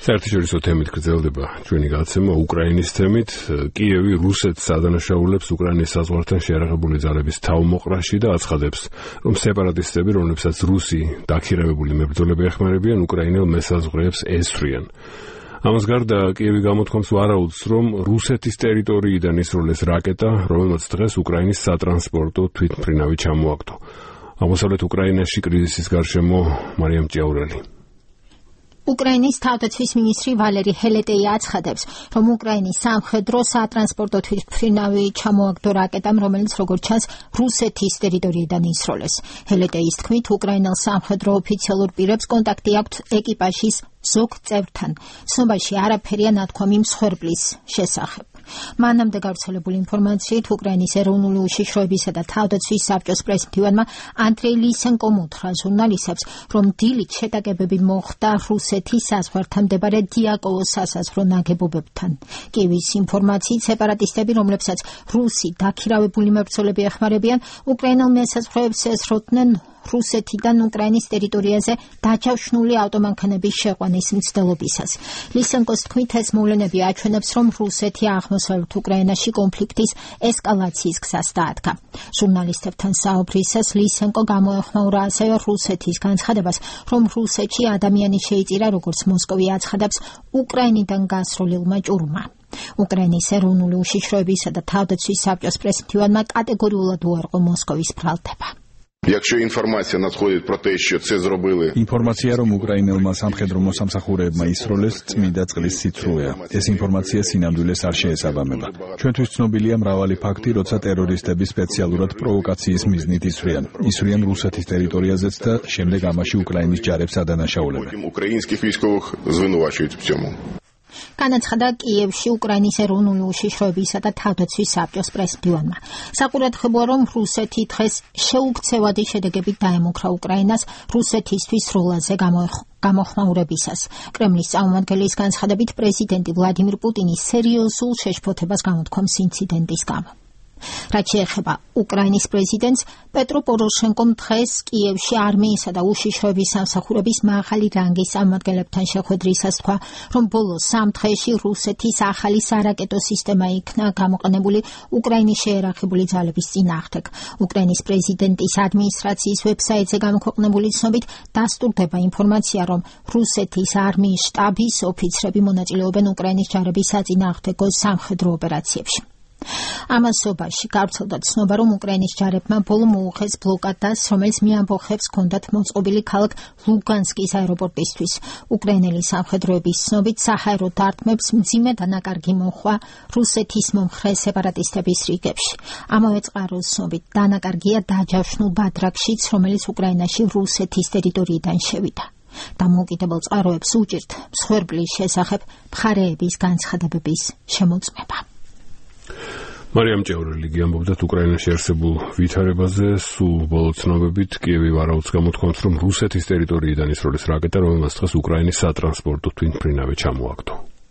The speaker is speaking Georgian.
საერთაშორისო თემით გრძელდება ჩვენი გადაცემა უკრაინის თემით. კიევი რუსეთს ადანაშაულებს უკრაინის საზღვართან შეიარაღებული ძალების თავმოყრაში და აცხადებს, რომ სეპარატისტები, რომლებსაც რუსი დაქირავებული მებრძოლები ეხმარებიან, უკრაინელ მესაზღვრეებს ესვრიან. ამას გარდა კიევი გამოთქვამს ვარაუდს, რომ რუსეთის ტერიტორიიდან ისროლეს რაკეტა, რომელმაც დღეს უკრაინის სატრანსპორტო თვითმფრინავი ჩამოაგდო. აღმოსავლეთ უკრაინაში კრიზისის გარშემო მარიამ ჭიაურელი. უკრაინის თავდაცვის მინისტრი ვალერი ჰელეტეი აცხადებს, რომ უკრაინის სამხედრო სატრანსპორტო თვითმფრინავი ჩამოაგდო რაკეტამ, რომელიც როგორც ჩანს, რუსეთის ტერიტორიიდან ისროლეს. ჰელეტეის თქმით, უკრაინელ სამხედრო ოფიციალურ პირებს კონტაქტი აქვთ ეკიპაჟის ზოგ წევრთან. ცნობაში არაფერია ნათქვამი მსხვერპლის შესახებ. მანამდე გავრცელებული ინფორმაციით უკრაინის ეროვნული უშიშროებისა და თავდაცვის საბჭოს პრესმდივანმა ანდრეი ლისენკომ უთხრა ჟურნალისტებს, რომ დილით შეტაკებები მოხდა რუსეთის საზღვართან მდებარე დიაკოვოს სასაზღვრო ნაგებობებთან. კიევის ინფორმაციით სეპარატისტები, რომლებსაც რუსი დაქირავებული მებრძოლები ეხმარებიან, უკრაინელ მესაზღვრეებს ესროდნენ რუსეთიდან უკრაინის ტერიტორიაზე დაჯავშნული ავტომანქანების შეყვანის მცდელობისას. ლისენკოს თქმით, ეს მოვლენები აჩვენებს, რომ რუსეთი აღმოსავლეთ უკრაინაში კონფლიქტის ესკალაციის გზას დაადგა. ჟურნალისტებთან საუბრისას ლისენკო გამოეხმაურა ასევე რუსეთის განცხადებას, რომ რუსეთში ადამიანი შეიწირა, როგორც მოსკოვი აცხადებს, უკრაინიდან გასრულილმა ჭურმა. უკრაინის ეროვნული უშიშროებისა და თავდაცვის საბჭოს პრესმდივანმა კატეგორიულად უარყო მოსკოვის ბრალდება. Якщо інформація надходить про те, що це зробили. Ინფორმაცია, რომ უკრაინელმა სამხედრო მოსამსახურეებმა ისროლეს, წმინდა წყლის სიცრუეა. ეს ინფორმაცია სინამდვილეს არ შეესაბამება. ჩვენთვის ცნობილია მრავალი ფაქტი, როცა ტერორისტები სპეციალურად პროვოკაციის მიზნით ისვრიან. ისვრიან რუსეთის ტერიტორიაზეც და შემდეგ ამაში უკრაინის ჯარებს ადანაშაულებენ. Українських військових звинувачують в цьому. განაცხადა კიევში უკრაინის ეროვნული უშიშროებისა და თავდაცვის საბჭოს პრესმდივანმა. საყურადღებოა, რომ რუსეთი დღეს შეუქცევადი შედეგებით დაემუქრა უკრაინას რუსეთისთვის სროლაზე გამოხმაურებისას. კრემლის წარმომადგენლის განცხადებით, პრეზიდენტი ვლადიმირ პუტინი სერიოზულ შეშფოთებას გამოთქვამს ინციდენტის გამო. რაც შეეხება უკრაინის პრეზიდენტს, პეტრო პოროშენკომ დღეს კიევში არმიისა და უშიშროების სამსახურების მაღალი რანგის წარმომადგენლებთან შეხვედრისას თქვა, რომ ბოლო 3 დღეში რუსეთის ახალი სარაკეტო სისტემა იქნა გამოყენებული უკრაინის შეიარაღებული ძალების წინააღმდეგ. უკრაინის პრეზიდენტის ადმინისტრაციის ვებსაიტზე გამოქვეყნებული ცნობით დასტურდება ინფორმაცია, რომ რუსეთის არმიის შტაბის ოფიცრები მონაწილეობენ უკრაინის ჯარების საწინააღმდეგო სამხედრო ოპერაციებში. ამასობაში გავრცელდა ცნობა, რომ უკრაინის ჯარებმა ბოლო მოუხეს ბლოკადას, რომელიც მიამბოხებს ჰქონდათ მოწყობილი ქალაქ ლუგანსკის აეროპორტისთვის. უკრაინელი სამხედროების ცნობით საჰაერო დარტყმებს მძიმე დანაკარგი მოჰყვა რუსეთის მომხრე სეპარატისტების რიგებში. ამავე წყაროს ცნობით დანაკარგია დაჯავშნულ ბადრაკშიც, რომელიც უკრაინაში რუსეთის ტერიტორიიდან შევიდა. დამოუკიდებელ წყაროებს უჭირთ მსხვერპლის შესახებ მხარეების განცხადებების შემოწმება. მარიამ ჭიაურელი ამბობდა უკრაინაში არსებულ ვითარებაზე. სულ ბოლო ცნობებით კიევი ვარაუდს გამოთქვამს, რომ რუსეთის ტერიტორიიდან ისროლის რაკეტა, რომელმაც დღეს უკრაინის სატრანსპორტო თვითმფრინავი ჩამოაგდო.